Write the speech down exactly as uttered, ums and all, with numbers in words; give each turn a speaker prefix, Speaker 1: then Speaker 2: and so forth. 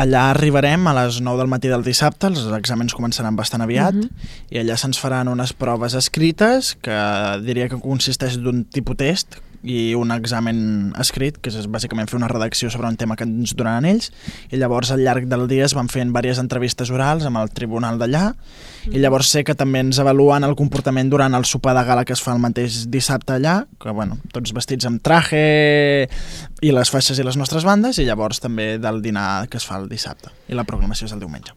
Speaker 1: Allà arribarem a les nou del matí del dissabte, els exàmens començaran bastant aviat, uh-huh. i allà se'ns faran unes proves escrites, que diria que consisteix d'un tipus test, i un examen escrit, que és bàsicament fer una redacció sobre un tema que ens donaran ells, i llavors al llarg del dia es van fent diverses entrevistes orals amb el tribunal d'allà, mm. i llavors sé que també ens avaluen el comportament durant el sopar de gala que es fa el mateix dissabte allà, que bueno, tots vestits amb traje i les faixes i les nostres bandes, i llavors també del dinar que es fa el dissabte, i la programació és el diumenge.